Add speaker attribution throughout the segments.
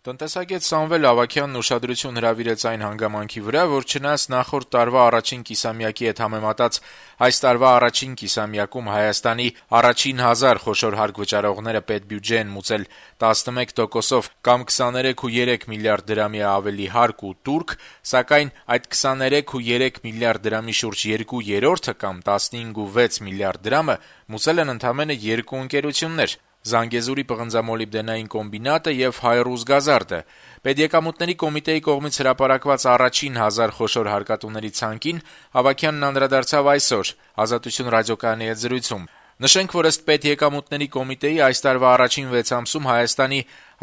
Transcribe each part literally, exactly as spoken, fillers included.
Speaker 1: Տնտեսագետ Սամվել Ավագյանն ուշադրություն հրավիրեց այն հանգամանքի վրա, որ չնայած նախորդ տարվա առաջին կիսամյակի հետ համեմատած այս տարվա առաջին կիսամյակում Հայաստանի առաջին հազար խոշոր հարկ վճարողները պետբյուջե են մուծել տասնմեկ տոկոսով կամ քսաներեք ու երեք միլիարդ դրամի ավելի հարկ ու տուրք, սակայն այդ քսաներեք ու երեք միլիարդ դրամի շուրջ երկու երրորդը կամ տասնհինգ ու վեց միլիարդ դրամը մուծել են ընդամենը երկու ընկերություններ՝ Զանգեզուրի պղնձամոլիբդենային կոմբինատը եւ Հայրուզգազարդը։ Պետեկամուտների կոմիտեի կողմից հրապարակված առաջին հազար խոշոր հարկատուների ցանկին Ավագյանն անդրադարձավ այսօր «Ազատություն» ռադիոկայանի հետ զրույցում։ Նշենք, որ ըստ Պետեկամուտների կոմիտեի այս տարվա առաջին վեց ամսում Հայաստանի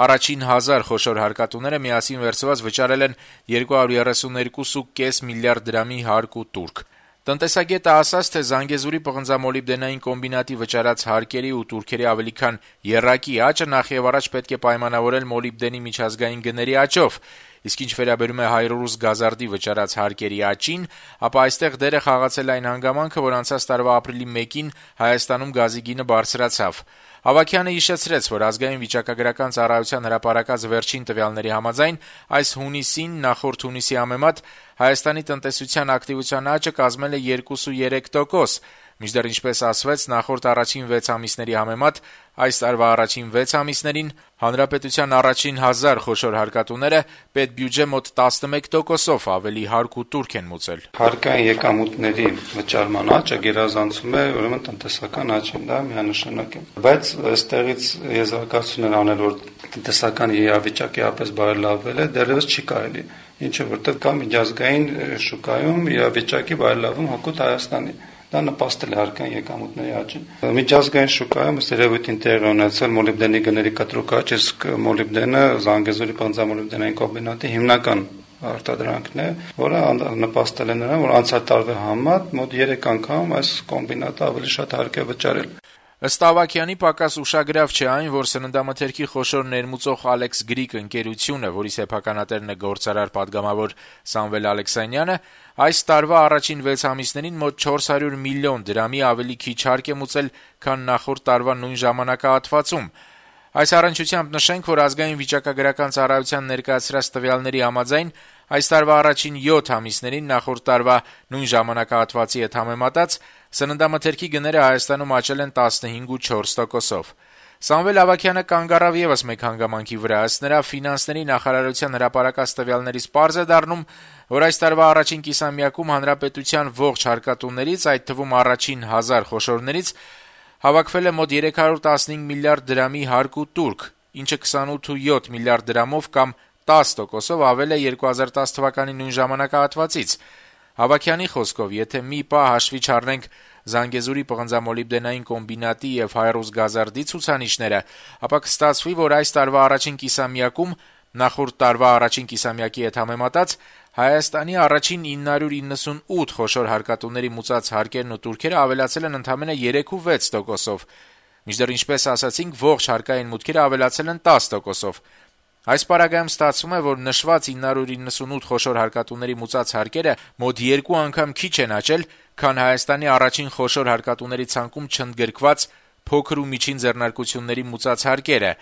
Speaker 1: առաջին հազար խոշոր հարկատուները միասին վերցված վճարել են երկու հարյուր երեսունյոթ կόμμα պենս միլիարդ դրամի հարկ ու տուրք։ Տնտեսագետը ասաց, թե Զանգեզուրի պղնձամոլիբդենային կոմբինատի վճարած հարկերի ու տուրքերի ավելի քան եռակի աճը նախևառաջ պետք է պայմանավորել մոլիբդենի միջազգային գների աճով, իսկ ինչ վերաբերում է Հայրուզգազարդի վճարած հարկերի աճին, ապա այստեղ դերը խաղացել այն հանգամանքը, որ անցած տարվա ապրիլի մեկին Հայաստանում գազի գինը բարձրացավ։ Ավագյանը հիշեցրեց, որ ազգային վիճակագրական ծառայության հրապարակած վերջին տվյալների համաձայն այս հունիսին նախորդ հունիսի համեմատ Հայաստանի տնտեսության ակտիվության աճը կազմել է երկու ու երեք տոկոս, մինչդեռ ինչպես ասվեց, նախորդ առաջին վեց ամիսների համեմատ այս տարվա առաջին վեց ամիսներին հանրապետության առաջին հազար խոշոր հարկատուները պետբյուջե մոտ տասնմեկ տոկոսով ավելի հարկ ու տուրք են մուծել։
Speaker 2: Հարկային եկամուտների վճարման աճը գերազանցում է ուրեմն տնտեսական աճին, դա միանշանակ է։ Բայց այստեղից եզրակացություններ անել, որ տնտեսական իրավիճակը ապես բարելավվել է, դեռևս չի կարելի, ինչը որտեղ կա միջազգային շուկայում իրավիճակի բարելավում հօգուտ Հայաստանի։ Դա նպաստել է հարկային եկամուտների աճին։ Միջազգային շուկայում ըստ երևույթին տեղի ունեցել մոլիբդենի գների կտրուկ աճ, իսկ մոլիբդենը Զանգեզուրի պղնձամոլիբդենային կոմբինատի հիմնական արտադրանքն է, որը նպաստել է նրան, որ անցյալ տարվա համեմատ մոտ երեք անգամ այս կոմբինատը ավելի շատ հարկ է վճարել։
Speaker 1: Ըստ Ավագյանի, պակաս ուշագրավ չէ այն, որ սննդամթերքի խոշոր ներմուծող Alex Greek ընկերությունը, որի սեփականատերն է գործարար պատգամավոր Սամվել Ալեքսանյանը, այս տարվա առաջին վեց ամիսներին մոտ չորս հարյուր միլիոն դրամի ավելի քիչ հարկ է մուծել, քան նախորդ տարվա նույն ժամանակահատվածում։ Այս առնչությամբ նշենք, որ ազգային վիճակագրական ծառայության ներկայացրած տվյալների համաձայն այս տարվա առաջին յոթ ամիսներին նախորդ տարվա նույն ժամանակահատվածի հետ համեմատած սննդամթերքի գները Հայաստանում աճել են տասնհինգ ու չորս տոկոսով։ Սամվել Ավագյանը կանգ առավ եւս մեկ հանգամանքի վրա, ըստ նրա ֆինանսների նախարարության հրապարակած տվյալներից պարզ է դառնում, որ այս տարվա առաջին կիսամյակում հանրապետության ողջ հարկատուներից, այդ թվում առաջին հազար խոշորներից, հավաքվել է մոտ երեք հարյուր տասնհինգ միլիարդ դրամի հարկ ու տուրք, ինչը քսանութ ու յոթ միլիարդ դրամով կամ տասը տոկոսով ավել է երկու հազար տասը թվականի նույն ժամանակահատվածից։ Ավագյանի խոսքով, եթե մի պահ հաշվի չառնենք Զանգեզուրի պղնձամոլիբդենային կոմբինատի եւ Հայրուզգազարդի ցուցանիշները, ապա կստացվի, որ այս տարվա առաջին կիսամյակում նախորդ տարվա առաջին կիսամյակի հետ համեմատած Հայաստանի առաջին ինը հարյուր իննսունութ խոշոր հարկատուների մուծած հարկերն ու տուրքերը ավելացել են ընդամենը երեք ու վեց տոկոսով, մինչդեռ ինչպես ասացինք, ողջ հարկային մուտքերը ավելացել են տասը տոկոսով։ Այս պարագայում ստացվում է, որ նշված ինը հարյուր իննսունութ խոշոր հարկատուների մուծած հարկերը մոտ երկու անգամ քիչ են աճել, քան Հայաստանի առաջին խոշոր հարկատուների ցանկում չընդգրկված փոքր ու միջին ձեռնարկությունների մուծած հարկերը,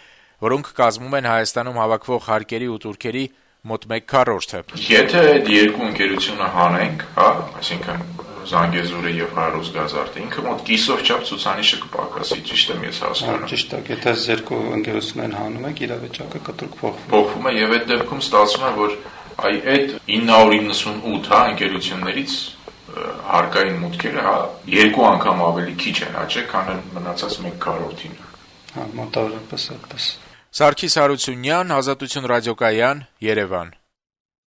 Speaker 1: որոնք կազմում են Հայաստանում հավաքվող հարկերի ու տուրքերի մոտ մեկ քառորդը։
Speaker 3: Եթե այդ երկու ընկերությունը հանենք, հա, այսինքն Զանգեզուրը եւ Հայրուզգազարդը, ինքը մոտ կիսով չափ ցուցանիշը կպակասի, ճիշտ եմ ես հասկանում։
Speaker 2: Ճիշտ է, եթե այս երկու ընկերություններին հանում եք, իրավիճակը կտրուկ փոխվում։
Speaker 3: Փոխվում է եւ այդ դեպքում ստացվում է, որ այ այդ ինը հարյուր իննսունութ հա ընկերություններից հարկային մուտքերը հա երկու անգամ ավելի քիչ են աճել, քան մնացած մեկ քառորդին։
Speaker 2: Հա, մոտավորապես այդպես։
Speaker 1: Սարգիս Հարությունյան, Ազատություն ռադիոկայան, Երևան։